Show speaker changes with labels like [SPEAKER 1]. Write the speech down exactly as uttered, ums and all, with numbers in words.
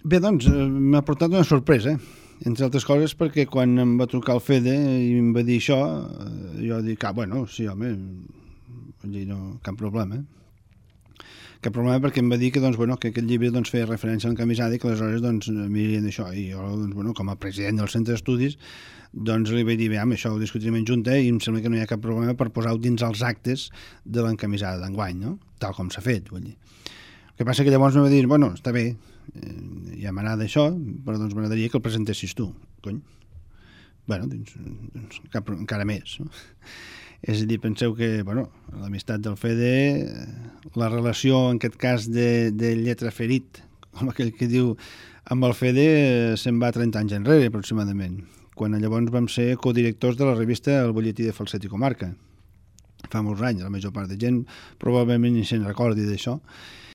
[SPEAKER 1] Bé, doncs, eh, m'ha portat una sorpresa, entre altres coses perquè quan em va trucar el Fede i em va dir això, eh, jo dic, ah, bueno, sí, home, vull dir, no, cap problema. Cap problema perquè em va dir que, doncs, bueno, que aquest llibre doncs, feia referència a l'encamisada i que aleshores doncs, mirien d'això. I jo, doncs, bueno, com a president del centre d'estudis, doncs li vaig dir, bé, amb això ho discutirem en junta i em sembla que no hi ha cap problema per posar-ho dins els actes de l'encamisada d'enguany, no? Tal com s'ha fet, vull dir. El que passa que llavors em va dir, bueno, està bé, eh, ja m'agrada això, però doncs m'agradaria que el presentessis tu, cony. Bueno, doncs, doncs cap, encara més, no? És a dir, penseu que, bueno, l'amistat del Fede, la relació, en aquest cas, de, de lletra ferit, com aquell que diu, amb el Fede se'n va trenta anys enrere, aproximadament, quan llavors vam ser codirectors de la revista El Bolletí de Falset i Comarca. Fa molts anys, la major part de gent probablement ni se'n recordi d'això.